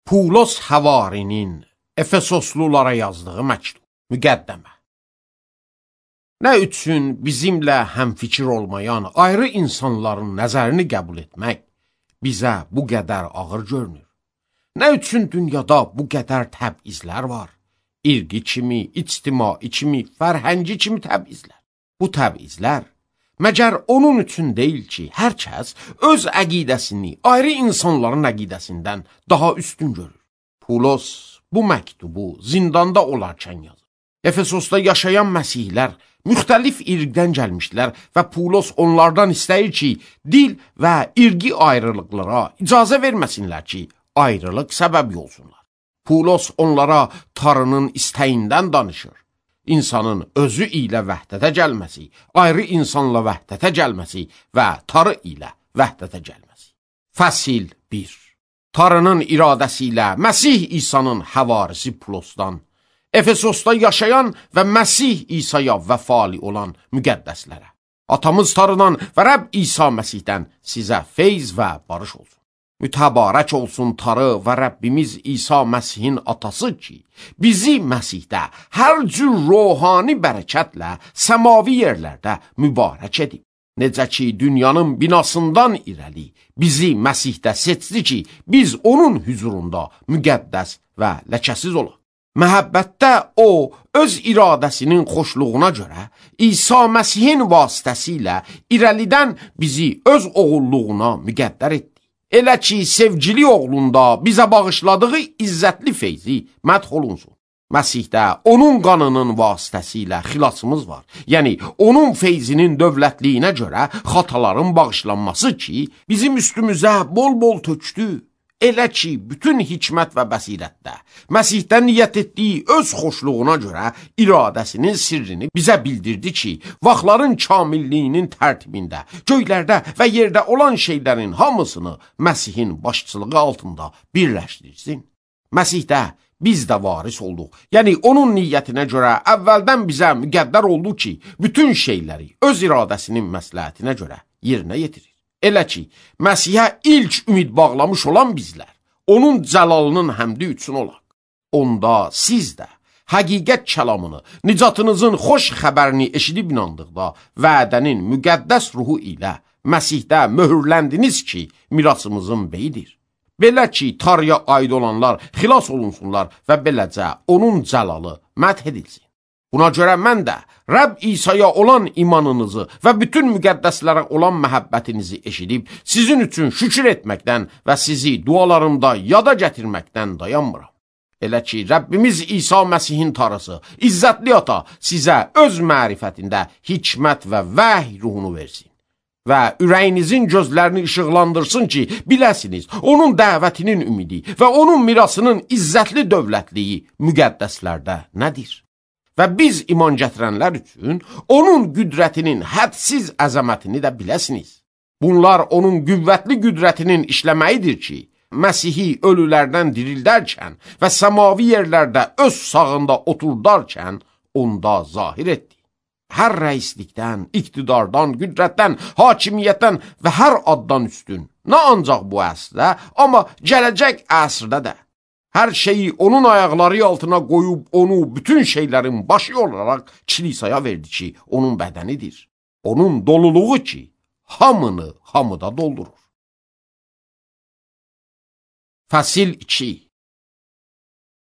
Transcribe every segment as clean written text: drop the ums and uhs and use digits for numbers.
Pulos Həvarinin Efesoslulara yazdığı məktub, müqəddəmə. Nə üçün bizimlə həmfikir olmayan ayrı insanların nəzərini qəbul etmək bizə bu qədər ağır görünür? Nə üçün dünyada bu qədər təbizlər var? İrqi kimi, ictimai kimi, fərhəngi kimi təbizlər. Bu təbizlər məgər onun üçün deyil ki, hər kəs öz əqidəsini ayrı insanların əqidəsindən daha üstün görür. Pulos bu məktubu zindanda olarkən yazır. Efesosda yaşayan məsihlər müxtəlif irqdən gəlmişlər və Pulos onlardan istəyir ki, dil və irqi ayrılıqlara icazə verməsinlər ki, ayrılıq səbəbi olsunlar. Pulos onlara Tanrının istəyindən danışır. İnsanın özü ilə vəhdətə gəlməsi, ayrı insanla vəhdətə gəlməsi və Tanrı ilə vəhdətə gəlməsi. Fəsil 1. Tanrının iradəsi ilə Məsih İsa'nın həvarisi Pulosdan, Efesosda yaşayan və Məsih İsa'ya vəfali olan müqəddəslərə, atamız Tanrıdan və Rəbb İsa Məsihdən sizə feyz və barış olsun. Mütəbarək olsun Tanrı və Rəbbimiz İsa Məsihin atası ki, bizi Məsihdə hər cür ruhani bərəkətlə səmavi yerlərdə mübarək edib. Necə ki, dünyanın binasından irəli bizi Məsihdə seçdi ki, biz onun hüzurunda müqəddəs və ləkəsiz olaq. Məhəbbətdə o, öz iradəsinin xoşluğuna görə İsa Məsihin vasitəsilə irəlidən bizi öz oğulluğuna müqəddər etdi. Elə ki, sevgili oğlunda bizə bağışladığı izzətli feyzi mədh olunsun. Məsihdə onun qanının vasitəsilə xilasımız var. Yəni, onun feyzinin dövlətliyinə görə xataların bağışlanması ki, bizim üstümüzə bol-bol tökdü. Elə ki, bütün hikmət və bəsirətdə Məsihdən niyyət etdiyi öz xoşluğuna görə iradəsinin sirrini bizə bildirdi ki, vaxtların kamilliyinin tərtibində, göylərdə və yerdə olan şeylərin hamısını Məsihin başçılığı altında birləşdirsin. Məsihdə biz də varis olduq. Yəni, onun niyyətinə görə əvvəldən bizə müqəddər oldu ki, bütün şeyləri öz iradəsinin məsləhətinə görə yerinə yetirir. Elə ki, Məsihə ilk ümid bağlamış olan bizlər, onun cəlalının həmdi üçün olaq. Onda siz də həqiqət kəlamını, nicatınızın xoş xəbərini eşidib inandıqda, vədənin müqəddəs ruhu ilə Məsihdə möhürləndiniz ki, mirasımızın beyidir. Belə ki, Tanrıya aid olanlar xilas olunsunlar və beləcə onun cəlalı mədh edilsin. Buna görə mən də Rəbb İsa'ya olan imanınızı və bütün müqəddəslərə olan məhəbbətinizi eşidib, sizin üçün şükür etməkdən və sizi dualarımda yada gətirməkdən dayanmıram. Elə ki, Rəbbimiz İsa Məsihin Tanrısı, İzzətli Ata sizə öz mərifətində hikmət və vəhy ruhunu versin və ürəyinizin gözlərini işıqlandırsın ki, biləsiniz, onun dəvətinin ümidi və onun mirasının izzətli dövlətliyi müqəddəslərdə nədir? Və biz iman gətirənlər üçün onun qüdrətinin hədsiz əzəmətini də biləsiniz. Bunlar onun qüvvətli qüdrətinin işləməyidir ki, Məsihi ölülərdən dirildərkən və səmavi yerlərdə öz sağında oturdarkən onda zahir etdi. Hər rəislikdən, iqtidardan, qüdrətdən, hakimiyyətdən və hər addan üstün, nə ancaq bu əsrdə, amma gələcək əsrdə də. Hər şeyi onun ayaqları altına qoyub onu bütün şeylərin başı olaraq kilisaya verdi ki, onun bədənidir. Onun doluluğu ki, hamını hamıda doldurur. Fəsil 2.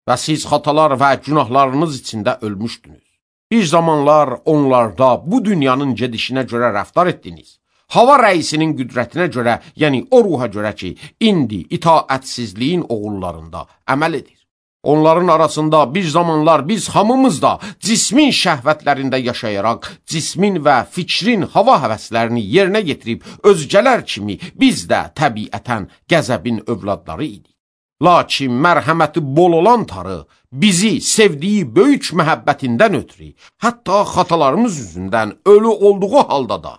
Və siz xatalar və günahlarınız içində ölmüşdünüz. Bir zamanlar onlarda bu dünyanın gedişinə görə rəftar etdiniz. Hava rəisinin qüdrətinə görə, yəni o ruha görə ki, indi itaətsizliyin oğullarında əməl edir. Onların arasında bir zamanlar biz hamımız da cismin şəhvətlərində yaşayaraq, cismin və fikrin hava həvəslərini yerinə getirib, özgələr kimi biz də təbiətən qəzəbin övladları idik. Lakin mərhəməti bol olan Tanrı bizi sevdiyi böyük məhəbbətindən ötürü, hətta xatalarımız yüzündən ölü olduğu halda da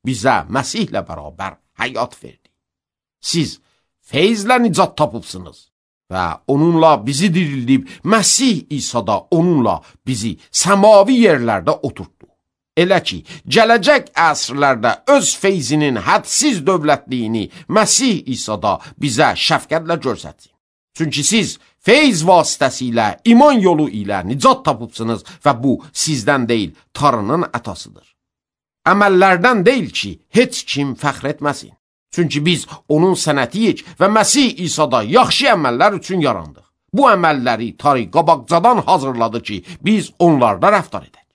bizə Məsihlə bərabər həyat verdi. Siz feyzlə nicat tapıbsınız və onunla bizi dirildib, Məsih İsa'da onunla bizi səmavi yerlərdə oturtdu. Elə ki, gələcək əsrlərdə öz feyzinin hədsiz dövlətliyini Məsih İsa'da bizə şəfqətlə görsətsin. Çünki siz feyz vasitəsilə, iman yolu ilə nicat tapıbsınız və bu sizdən deyil, Tanrının ətasıdır. Əməllərdən deyil ki, heç kim fəxr etməsin. Çünki biz onun sənətiyik və Məsih İsa'da yaxşı əməllər üçün yarandıq. Bu əməlləri Tanrı qabaqcadan hazırladı ki, biz onlarda rəftar edək.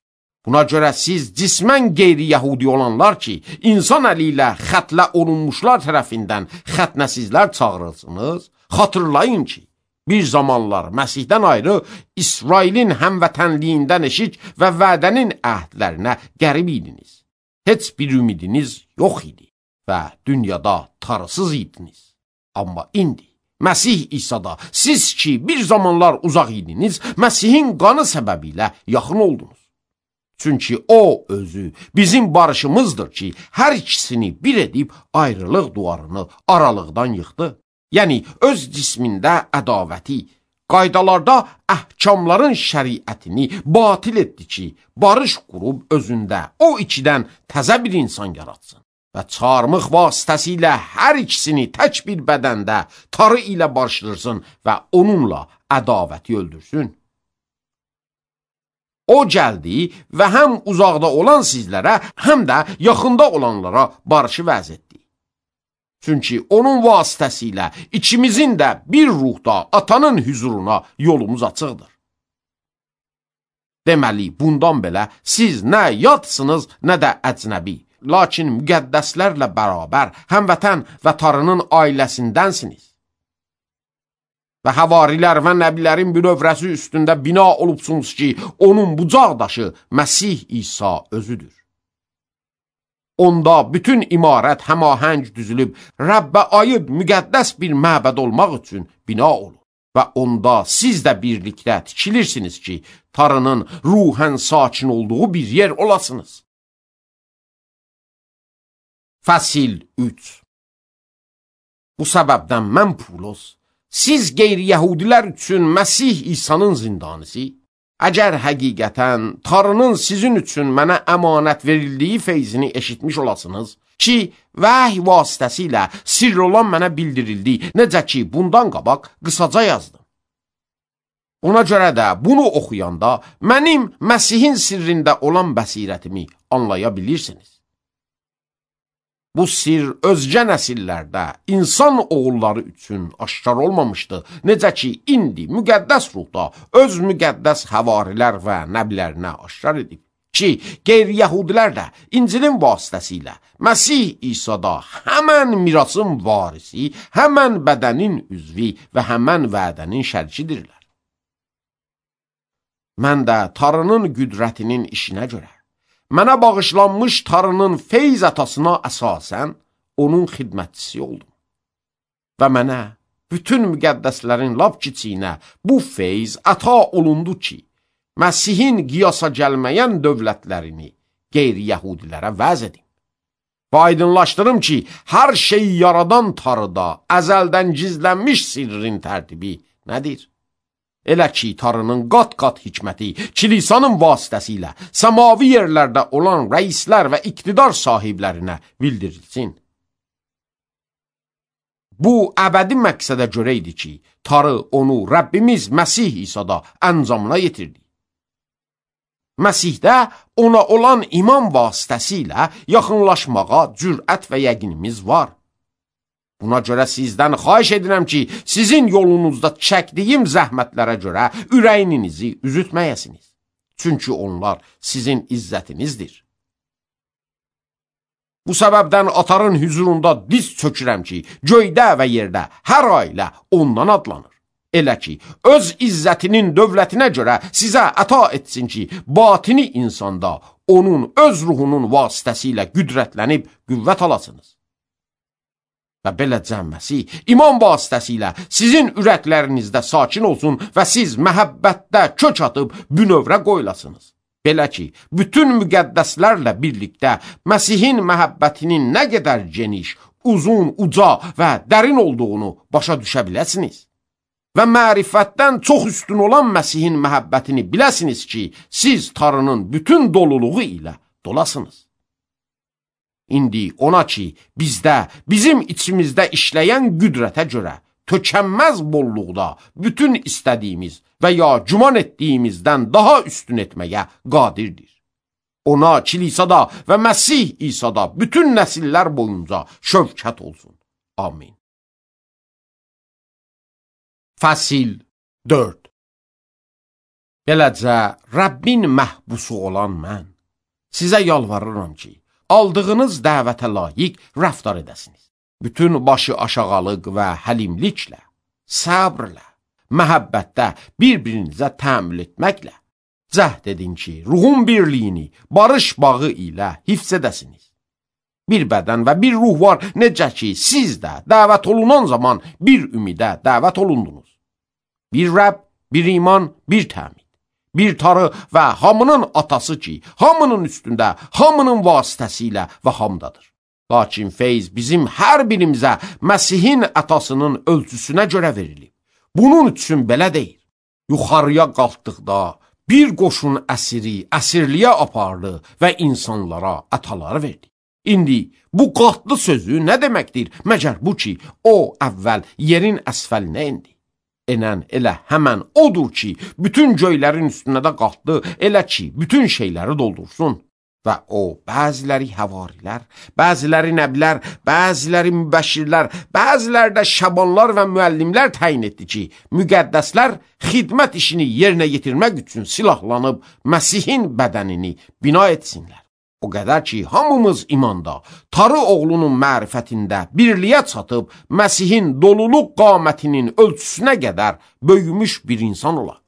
Buna görə siz cismən qeyri-yəhudi olanlar ki, insan əli ilə xətlə olunmuşlar tərəfindən xətnəsizlər çağırılsınız, xatırlayın ki, bir zamanlar Məsihdən ayrı İsrailin həmvətənliyindən eşik və vədənin əhdlərinə qərib idiniz. Heç bir ümidiniz yox idi və dünyada tarısız idiniz. Amma indi Məsih İsa'da siz ki bir zamanlar uzaq idiniz, Məsihin qanı səbəbilə yaxın oldunuz. Çünki o özü bizim barışımızdır ki, hər ikisini bir edib ayrılıq duvarını aralıqdan yıxdı. Yəni, öz cismində ədavəti, qaydalarda əhkamların şəriətini batil etdi ki, barış qurub özündə o ikidən təzə bir insan yaratsın. Və çarmıq vasitəsilə hər ikisini tək bir bədəndə Tanrı ilə barışdırsın və onunla ədavəti öldürsün. O gəldi və həm uzaqda olan sizlərə, həm də yaxında olanlara barışı vəz etdi. Çünki onun vasitəsilə ikimizin də bir ruhda atanın hüzuruna yolumuz açıqdır. Deməli, bundan belə siz nə yadsınız, nə də əcnəbi, lakin müqəddəslərlə bərabər həmvətən və Tanrının ailəsindənsiniz. Və havarilər və nəbilərin bünövrəsi üstündə bina olubsunuz ki, onun bucaqdaşı Məsih İsa özüdür. Onda bütün imarət həmahəng düzülüb, Rəbbə aid müqəddəs bir məbəd olmaq üçün bina olur. Və onda siz də birlikdə tikilirsiniz ki, Tanrının ruhən sakin olduğu bir yer olasınız. Fəsil 3. Bu səbəbdən mən Pulos, siz qeyri-yəhudilər üçün Məsih İsa'nın zindanisi, əgər həqiqətən Tanrının sizin üçün mənə əmanət verildiyi feyzini eşitmiş olasınız ki, vəhy vasitəsilə sirr olan mənə bildirildi, necə ki, bundan qabaq qısaca yazdım. Ona görə də bunu oxuyanda mənim Məsihin sirrində olan bəsirətimi anlaya bilirsiniz. Bu sir özgə nəsillərdə insan oğulları üçün aşkar olmamışdı. Necə ki, indi müqəddəs ruhda öz müqəddəs həvarilər və nəblərinə aşkar edib. Ki, qeyri-yəhudilər də İncilin vasitəsilə Məsih İsa'da həmən mirasın varisi, həmən bədənin üzvi və həmən vədənin şərkidirlər. Mən də Tanrının qüdrətinin işinə görə mənə bağışlanmış Tanrının feyz atasına əsasən onun xidmətçisi oldum. Və mənə bütün müqəddəslərin lap kiçiyinə bu feyz ata olundu ki, Məsihin qiyasa gəlməyən dövlətlərini qeyri-yəhudilərə vəz edim. Və aydınlaşdırım ki, hər şeyi yaradan Tanrıda əzəldən gizlənmiş sirrin tərtibi nədir? Elə ki, Tanrının qat-qat hikməti kilisanın vasitəsilə səmavi yerlərdə olan rəislər və iqtidar sahiblərinə bildirilsin. Bu, əbədi məqsədə görə idi ki, Tanrı onu Rəbbimiz Məsih İsa'da əncamına yetirdi. Məsihdə ona olan iman vasitəsilə yaxınlaşmağa cürət və yəqinimiz var. Buna görə sizdən xahiş edirəm ki, sizin yolunuzda çəkdiyim zəhmətlərə görə ürəyinizi üzütməyəsiniz. Çünki onlar sizin izzətinizdir. Bu səbəbdən atanın hüzurunda diz çökürəm ki, göydə və yerdə hər ailə ondan adlanır. Elə ki, öz izzətinin dövlətinə görə sizə əta etsin ki, batini insanda onun öz ruhunun vasitəsilə qüdrətlənib qüvvət alasınız. Və beləcə Məsih iman vasitəsilə sizin ürəklərinizdə sakin olsun və siz məhəbbətdə kök atıb bünövrə qoyulasınız. Belə ki, bütün müqəddəslərlə birlikdə Məsihin məhəbbətinin nə qədər geniş, uzun, uca və dərin olduğunu başa düşə biləsiniz. Və mərifətdən çox üstün olan Məsihin məhəbbətini biləsiniz ki, siz Tanrının bütün doluluğu ilə dolasınız. İndi ona ki, bizdə, bizim içimizdə işləyən qüdrətə görə tökənməz bolluqda bütün istədiyimiz və ya güman etdiyimizdən daha üstün etməyə qadirdir. Ona kilisada və Məsih İsa'da bütün nəsillər boyunca şövkət olsun. Amin. Fəsil 4. Beləcə, Rəbbin məhbusu olan mən sizə yalvarıram ki, aldığınız dəvətə layiq rəftar edəsiniz. Bütün başı aşağılıq və həlimliklə, səbrlə, məhəbbətdə bir-birinizə təmil etməklə cəhd edin ki, ruhun birliyini barış bağı ilə hifz edəsiniz. Bir bədən və bir ruh var, necə ki, siz də dəvət olunan zaman bir ümidə dəvət olundunuz. Bir Rəbb, bir iman, bir təmid, bir Tanrı və hamının atası ki, hamının üstündə, hamının vasitəsilə və hamdadır. Lakin feyz bizim hər birimizə Məsihin ətasının ölçüsünə görə verilib. Bunun üçün belə deyil. Yuxarıya qalxdıqda bir qoşun əsiri əsirliyə apardı və insanlara ətaları verdi. İndi bu qalxdı sözü nə deməkdir? Məgər bu ki, o əvvəl yerin əsfəlinə indi. Enən elə həmən odur ki, bütün göylərin üstünə də qalxdı, elə ki, bütün şeyləri doldursun. Və o, bəziləri həvarilər, bəziləri nəbilər, bəziləri mübəşirlər, bəziləri də şabanlar və müəllimlər təyin etdi ki, müqəddəslər xidmət işini yerinə yetirmək üçün silahlanıb Məsihin bədənini bina etsinlər. O qədər ki, hamımız imanda, Tanrı oğlunun mərifətində birliyə çatıb, Məsihin doluluq qamətinin ölçüsünə qədər böyümüş bir insan olaq.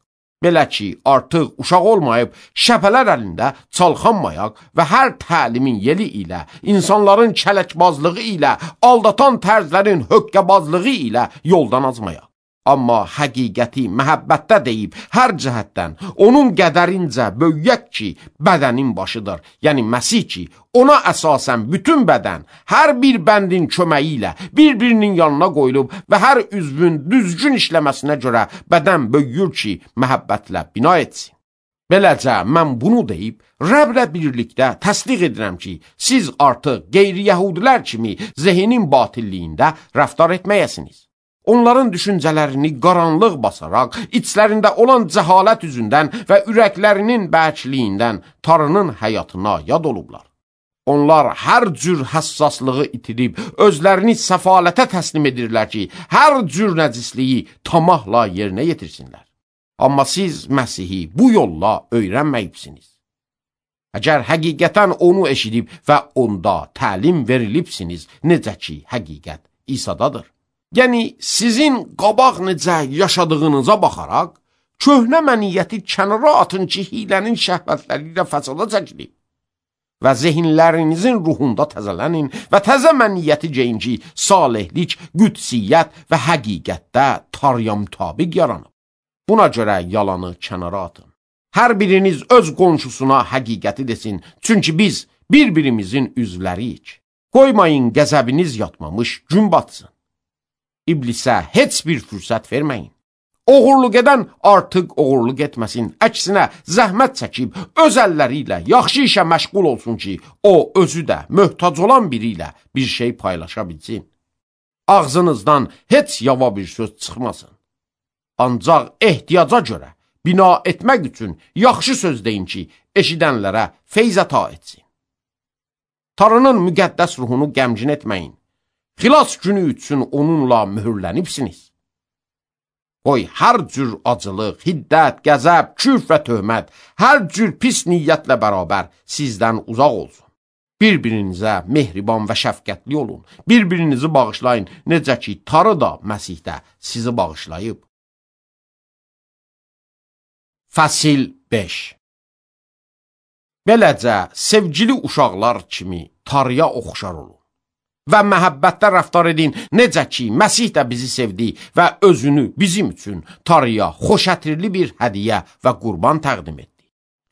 Belə ki, artıq uşaq olmayıb, şəpələr əlində çalxanmayaq və hər təlimin yeli ilə, insanların kələkbazlığı ilə, aldatan tərzlərin höqqəbazlığı ilə yoldan azmayaq. Amma həqiqəti məhəbbətdə deyib, hər cəhətdən onun qədərincə böyüyək ki, bədənin başıdır, yəni Məsih ki, ona əsasən bütün bədən, hər bir bəndin köməyi ilə bir-birinin yanına qoyulub və hər üzvün düzgün işləməsinə görə bədən böyüyür ki, məhəbbətlə bina etsin. Beləcə, mən bunu deyib, Rəblə birlikdə təsdiq edirəm ki, siz artıq qeyri-yəhudilər kimi zehnin batilliyində rəftar etməyəsiniz. Onların düşüncələrini qaranlıq basaraq, içlərində olan cəhalət üzündən və ürəklərinin bərkliyindən Tanrının həyatına yad olublar. Onlar hər cür həssaslığı itirib, özlərini səfalətə təslim edirlər ki, hər cür nəcisliyi tamahla yerinə yetirsinlər. Amma siz Məsihi bu yolla öyrənməyibsiniz. Əgər həqiqətən onu eşidib və onda təlim verilibsiniz, necə ki, həqiqət İsa'dadır. Yəni, sizin qabaq necə yaşadığınıza baxaraq, köhnə məniyyəti kənara atın ki, hilənin şəhvətləri ilə fəsada çəkilib və zehinlərinizin ruhunda təzələnin və təzə məniyyəti geyin ki, salihlik, qüdsiyyət və həqiqətdə Tanrıya mütabiq yaranıb. Buna görə yalanı kənara atın. Hər biriniz öz qonşusuna həqiqəti desin, çünki biz bir-birimizin üzvləriyik. Qoymayın qəzəbiniz yatmamış gün batsın. İblisə heç bir fürsət verməyin. Oğurluq edən artıq oğurluq etməsin, əksinə zəhmət çəkib öz əlləri ilə yaxşı işə məşğul olsun ki, o özü də möhtac olan biri ilə bir şey paylaşa bilsin. Ağzınızdan heç yava bir söz çıxmasın. Ancaq ehtiyaca görə bina etmək üçün yaxşı söz deyin ki, eşidənlərə feyz əta etsin. Tanrının müqəddəs ruhunu qəmgin etməyin. Xilas günü üçün onunla mühürlənibsiniz. Qoy hər cür acılıq, hiddət, qəzəb, küfr və töhmət, hər cür pis niyyətlə bərabər sizdən uzaq olsun. Bir-birinizə mehriban və şəfqətli olun. Bir-birinizi bağışlayın, necə ki, Tanrı da Məsihdə sizi bağışlayıb. Fəsil 5. Beləcə, sevgili uşaqlar kimi Tanrıya oxşar olun. Və məhəbbətdə rəftar edin, necə ki, Məsih də bizi sevdi və özünü bizim üçün Tanrıya xoşətirli bir hədiyyə və qurban təqdim etdi.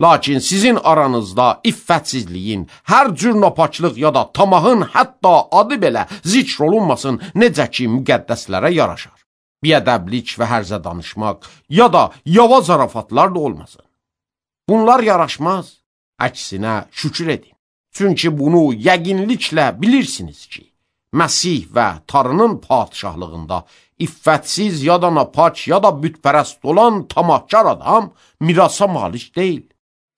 Lakin sizin aranızda iffətsizliyin, hər cür napaklıq ya da tamahın hətta adı belə zikr olunmasın, necə ki, müqəddəslərə yaraşar. Biədəblik və hərzə danışmaq ya da yava zarafatlar da olmasın. Bunlar yaraşmaz, əksinə şükür edin. Çünki bunu yəqinliklə bilirsiniz ki, Məsih və Tanrının padişahlığında iffətsiz ya da napaç ya da bütpərəst olan tamahkar adam mirasa malik deyil.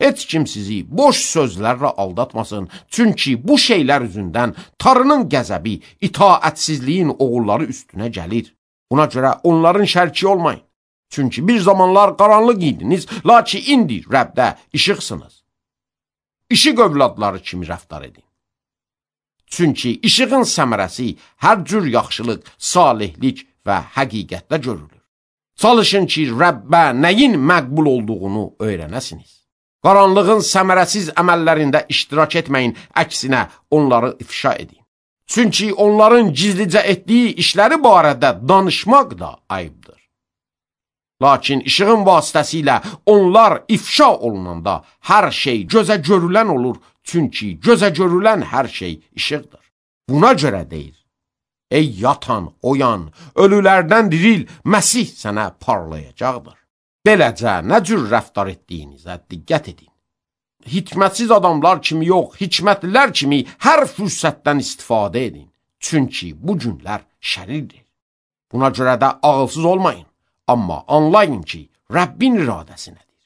Heç kim sizi boş sözlərlə aldatmasın, çünki bu şeylər üzündən Tanrının qəzəbi itaətsizliyin oğulları üstünə gəlir. Buna görə onların şəriki olmayın. Çünki bir zamanlar qaranlıq idiniz, lakin indi Rəbdə işıqsınız. İşıq övladları kimi rəftar edin. Çünki işığın səmərəsi hər cür yaxşılıq, salihlik və həqiqətdə görülür. Çalışın ki, Rəbbə nəyin məqbul olduğunu öyrənəsiniz. Qaranlığın səmərəsiz əməllərində iştirak etməyin, əksinə onları ifşa edin. Çünki onların gizlicə etdiyi işləri barədə danışmaq da ayıbdır. Lakin işığın vasitəsilə onlar ifşa olunanda hər şey gözə görülən olur, çünki gözə görülən hər şey işıqdır. Buna görə deyir, ey yatan, oyan, ölülərdən diril, Məsih sənə parlayacaqdır. Beləcə nə cür rəftar etdiyinizə diqqət edin. Hikmətsiz adamlar kimi yox, hikmətlilər kimi hər fürsətdən istifadə edin. Çünki bu günlər şərirdir. Buna görə də ağılsız olmayın. Amma anlayın ki, Rəbbin iradəsi nədir?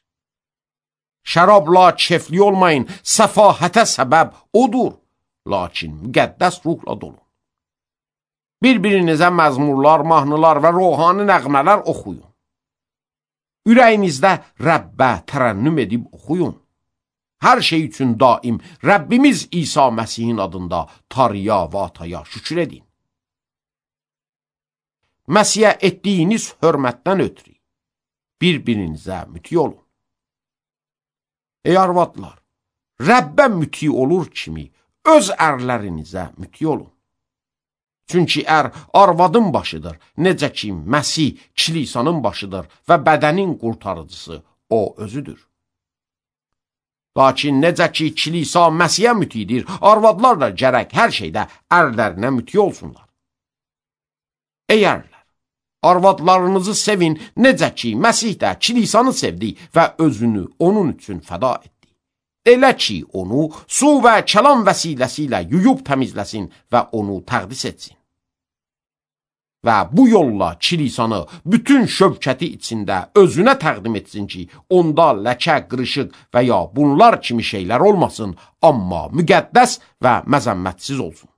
Şərabla kefli olmayın, səfahətə səbəb odur, lakin müqəddəs ruhla dolun. Bir-birinizə məzmurlar, mahnılar və ruhani nəğmələr oxuyun. Ürəyinizdə Rəbbə tərənnüm edib oxuyun. Hər şey üçün daim Rəbbimiz İsa Məsihin adında Tanrıya və Ataya şükür edin. Məsihə etdiyiniz hörmətdən ötürü bir-birinizə müti olun. Ey arvadlar, Rəbbə müti olur kimi öz ərlərinizə müti olun. Çünki ər arvadın başıdır, necə ki Məsih kilisanın başıdır və bədənin qurtarıcısı o özüdür. Lakin necə ki kilisa Məsihə mütidir, arvadlar da gərək hər şeydə ərlərinə müti olsunlar. Ey ərlər, arvadlarınızı sevin, necə ki Məsih də kilisanı sevdi və özünü onun üçün fəda etdi. Elə ki onu su və kəlam vəsiləsi ilə yuyub təmizləsin və onu təqdis etsin. Və bu yolla kilisanı bütün şövkəti içində özünə təqdim etsin ki, onda ləkə, qırışıq və ya bunlar kimi şeylər olmasın, amma müqəddəs və məzəmmətsiz olsun.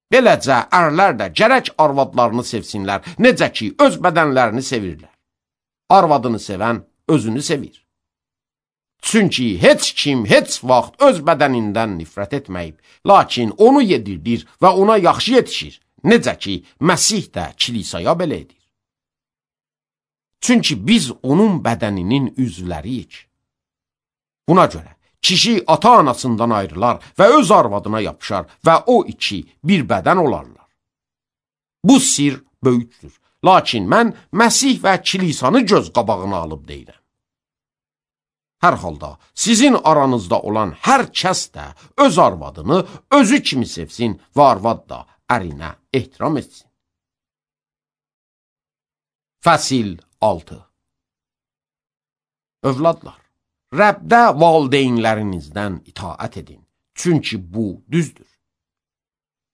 Beləcə, ərlər də gərək arvadlarını sevsinlər, necə ki, öz bədənlərini sevirlər. Arvadını sevən özünü sevir. Çünki heç kim heç vaxt öz bədənindən nifrət etməyib, lakin onu yedirdir və ona yaxşı yetişir, necə ki, Məsih də kilisaya belə edir. Çünki biz onun bədəninin üzvləriyik. Buna görə, kişi ata-anasından ayrılar və öz arvadına yapışar və o iki bir bədən olarlar. Bu sir böyükdür, lakin mən Məsih və kilisanı göz qabağına alıb deyirəm. Hər halda sizin aranızda olan hər kəs də öz arvadını özü kimi sevsin və arvad da ərinə ehtiram etsin. Fəsil 6. Övladlar, Rəbdə valideynlərinizdən itaət edin, çünki bu düzdür.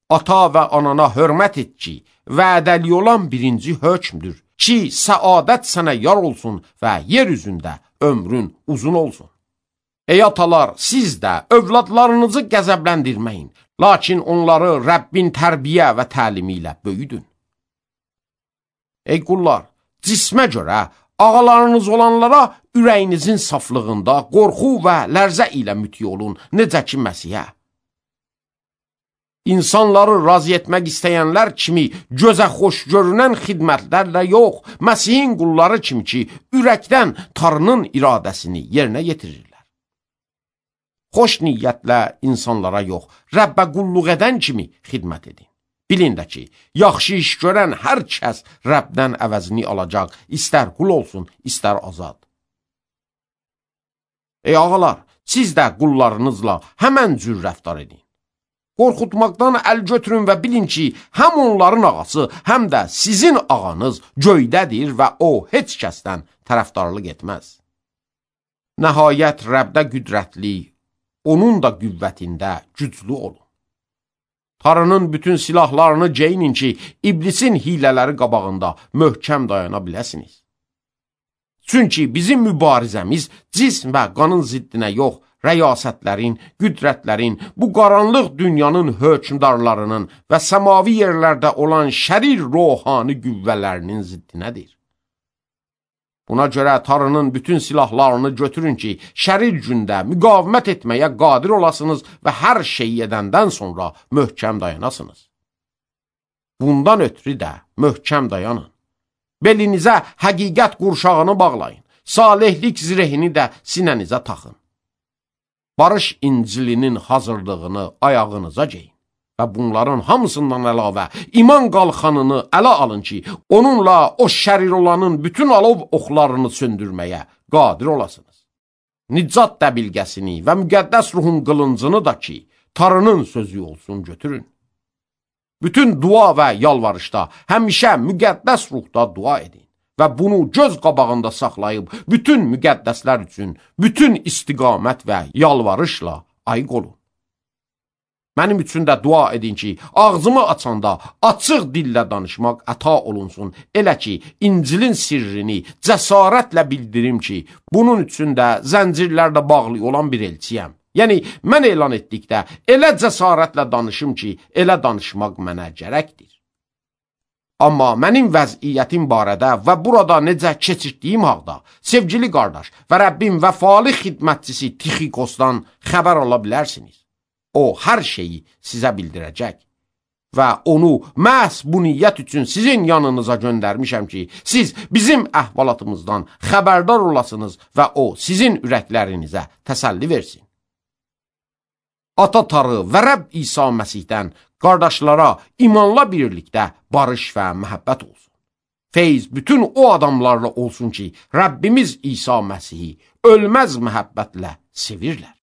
Ata və anana hörmət et ki, vədəli olan birinci hökmdür ki, səadət sənə yar olsun və yer üzündə ömrün uzun olsun. Ey atalar, siz də övladlarınızı qəzəbləndirməyin, lakin onları Rəbbin tərbiyə və təlimi ilə böyüdün. Ey qullar, cismə görə ağalarınız olanlara ürəyinizin saflığında qorxu və lərzə ilə müti olun, necə ki Məsihə. İnsanları razı etmək istəyənlər kimi gözə xoş görünən xidmətlərlə yox, Məsihin qulları kimi ki, ürəkdən Tanrının iradəsini yerinə yetirirlər. Xoş niyyətlə insanlara yox, Rəbbə qulluq edən kimi xidmət edin. Bilin də ki, yaxşı iş görən hər kəs Rəbdən əvəzini alacaq, istər qul olsun, istər azad. Ey ağalar, siz də qullarınızla həmən cür rəftar edin. Qorxutmaqdan əl götürün və bilin ki, həm onların ağası, həm də sizin ağanız göydədir və o heç kəsdən tərəfdarlıq etməz. Nəhayət Rəbdə qüdrətli, onun da qüvvətində güclü olun. Tarının bütün silahlarını geyinin ki, iblisin hilələri qabağında möhkəm dayana biləsiniz. Çünki bizim mübarizəmiz cism və qanın ziddinə yox, rəyasətlərin, qüdrətlərin, bu qaranlıq dünyanın hökmdarlarının və səmavi yerlərdə olan şərir ruhani qüvvələrinin ziddinədir. Buna görə tarının bütün silahlarını götürün ki, şərir gündə müqavimət etməyə qadir olasınız və hər şeyi edəndən sonra möhkəm dayanasınız. Bundan ötürü də möhkəm dayanın. Belinizə həqiqət qurşağını bağlayın, salihlik zirehini də sinənizə taxın. Barış İncilinin hazırlığını ayağınıza geyin və bunların hamısından əlavə iman qalxanını ələ alın ki, onunla o şərir olanın bütün alov oxlarını söndürməyə qadir olasınız. Nicat dəbilgəsini və müqəddəs ruhun qılıncını da ki, tarının sözü olsun götürün. Bütün dua və yalvarışda həmişə müqəddəs ruhda dua edin və bunu göz qabağında saxlayıb bütün müqəddəslər üçün bütün istiqamət və yalvarışla ayıq olun. Mənim üçün də dua edin ki, ağzımı açanda açıq dillə danışmaq əta olunsun, elə ki, İncilin sirrini cəsarətlə bildirim ki, bunun üçün də zəncirlərlə bağlı olan bir elçiyəm. Yəni, mən elan etdikdə elə cəsarətlə danışım ki, elə danışmaq mənə gərəkdir. Amma mənim vəziyyətim barədə və burada necə keçirdiyim haqda sevgili qardaş və Rəbbim vəfalı xidmətçisi Tixikosdan xəbər ala bilərsiniz. O, hər şeyi sizə bildirəcək və onu məhz bu niyyət üçün sizin yanınıza göndərmişəm ki, siz bizim əhvalatımızdan xəbərdar olasınız və o, sizin ürəklərinizə təsəlli versin. Ata Tarı və Rəbb İsa Məsihdən qardaşlara imanla birlikdə barış və məhəbbət olsun. Feyz bütün o adamlarla olsun ki, Rəbbimiz İsa Məsihi ölməz məhəbbətlə sevirlər.